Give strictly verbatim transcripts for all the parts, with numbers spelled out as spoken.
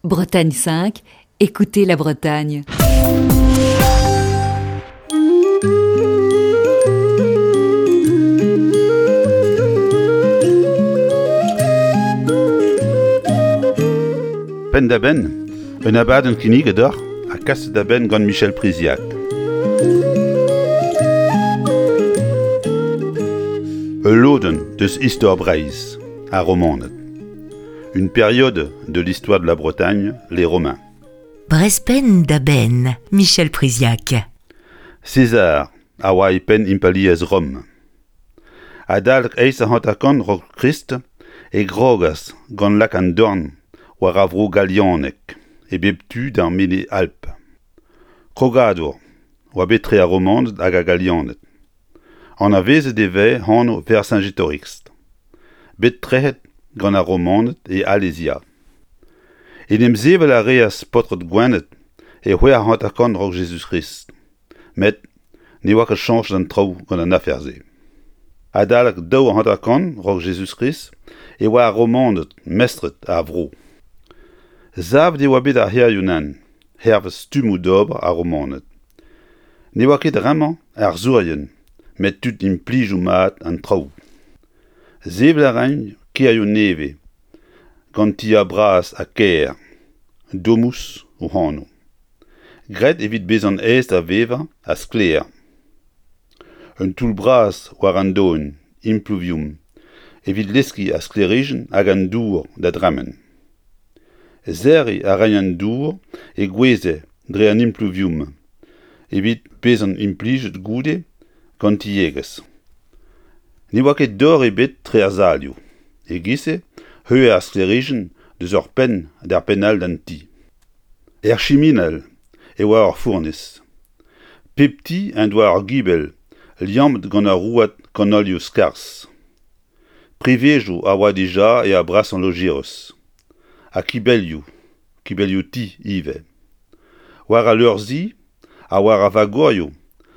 Bretagne cinq, écoutez la Bretagne. Penn-da-benn, un abadenn kinniget deoc'h ha kaset da benn gant Michel Priziac. Ul lodenn deus istor Breizh, ar Romaned. Une période de l'histoire de la Bretagne, les Romains. Brezh penn da benn, Michel Priziac. César a oa e penn impalaeriezh Rom. Adalek eizh ha hanter-kant a-raok Krist e krogas gant lak an dorn war ar vro galianek e bep tu d'ar Menez Alp. Krogadoù oa bet tre ar Romaned hag ar Galianed. Anavezet e vez anv Vercingétorix, bet trec'het gant ar Romaned e Alesia. En em sevel a reas paotred Gwened e c'hwec'h ha hanter-kant a-raok Jezuz-Krist, met ne oa ket chañchet an traoù gant an afer-se. Adalek daou ha hanter-kant a-raok Jezuz-Krist e oa ar Romaned mestred ar vro. Savet e oa bet ar c'hêrioù-nann, hervez stummoù d'ober ar Romaned. Ne oa ket ar re-mañ arzourien, met tud implijoù mat an traoù. Sevel a raent kêrioù nevez, gant tiez bras ha kaer, domus o anv. Graet evit bezañ aes da vevañ ha sklaer. Un toull bras war an doenn, impluvium, evit leskiñ ar sklêrijenn hag an dour da dremen. Serriñ a raent an dour e goueze dre an impluvium evit bezañ implijet goude gant tiegezh. Ne oa ket dor ebet tre ar salioù. E-giz-se e ar sklêrijenn deus ur penn d'ar penn all d'an ti. Er chiminal e oa ur fournez. Pep ti en doa ur gibell liammet gant ur rouedad kanolioù-skarzh. Privezioù a oa dija er brasañ lojeiz. Ha kibellioù, kibellioù-ti ivez. War al leur-zi ha war ar vagorioù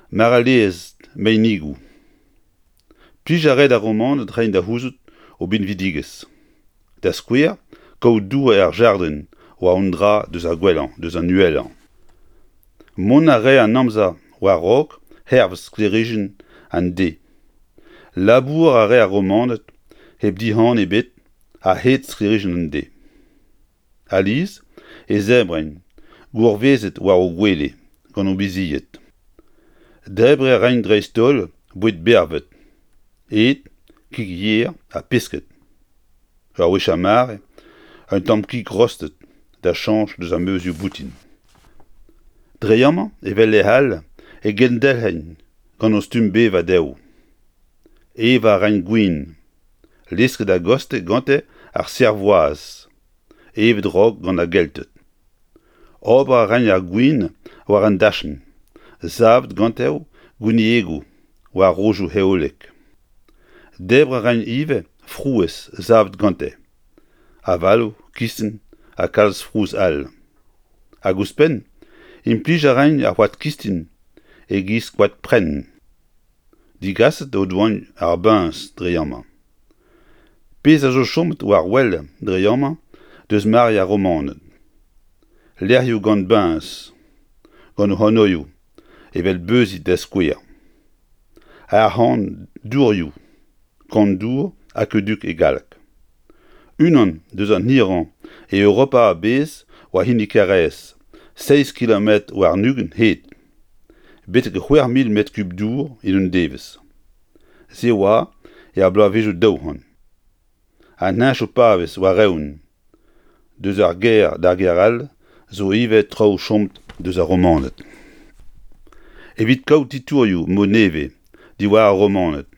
marellerezh meinigoù. Plij a rae d'ar Romaned reiñ da c'houzout o binvidigezh. Da skouer, kaout dour er jardrin oa un dra deus ar gwellañ, deus an uhelañ. Mont a rae an amzer war-raok hervez sklêrijenn an deiz. Labour a rae ar Romaned hep dihan ebet a-hed sklêrijenn an deiz. Alies e zebrent gourvezet war o gwele gant o bizied. Debriñ a raent dreist-holl boued bervet, ed, kig yer ha pesked. Ur wech ar mare, un tamm kig rostet da chañch deus ar meuzioù boutin. Dre amañ, evel lec'h all, e gendelc'hent gant o stumm bevañ dezho. Evañ a raent gwin, lesket a-gostez gante ar servoaz, evet raok gant ar Gelted. Ober a raent ar gwin war an dachenn, savet gante gwiniegoù war rojoù heolek. Debriñ a raent ivez frouezh savet gante, avaloù, kistin ha kalz frouezh all. Hag ouzhpenn, implij a raent ar c'hoad kistin e-giz koad prenn. Digaset o doa ar biñs dre amañ. Pezh a zo chomet war wel dre amañ deus mare ar Romaned. Lec'hioù gant biñs, gant o anvioù, evel Beuzid da skouer. Ar c'han dourioù, kan-dour aqueduc e galleg. Unan deus an hirañ e Europa a-bezh oa hini Karaez, seizh kilometr warn-ugent hed. Betek c'hwec'h mil metr kub dour en un devezh. Se oa er bloavezhioù daou c'hant. An heñchoù pavez war-eeun deus ar gêr d'ar gêr all zo ivez traoù chomet deus ar Romaned. Evit kaout titourioù mod nevez diwar ar Romaned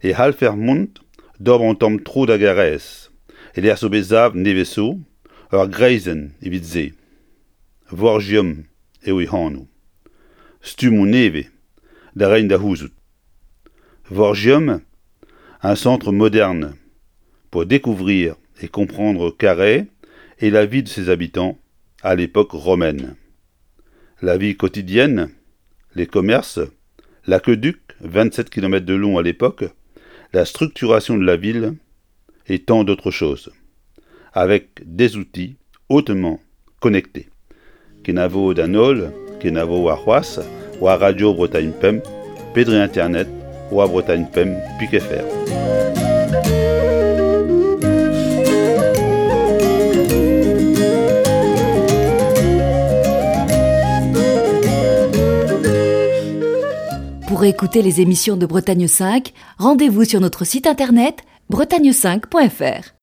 e c'hallfer mont d'ober un tamm tro da Garaez e-lec'h zo bet savet nevez zo ur greizenn evit se. Vorgium eo e anv. Stummoù nevez da reiñ da c'houzout. Vorgium, un centre moderne pour découvrir et comprendre Carhaix et la vie de ses habitants à l'époque romaine. La vie quotidienne, les commerces, l'aqueduc, vingt-sept kilomètres de long à l'époque, la structuration de la ville et tant d'autres choses, avec des outils hautement Connecté. Kenavo d'an holl, kenavo war c'hoazh, war Radio Bretagne Pemp, pe dre internet, war Bretagne Pemp pik F R. Pour écouter les émissions de Bretagne cinq, rendez-vous sur notre site internet bretagne cinq point F R.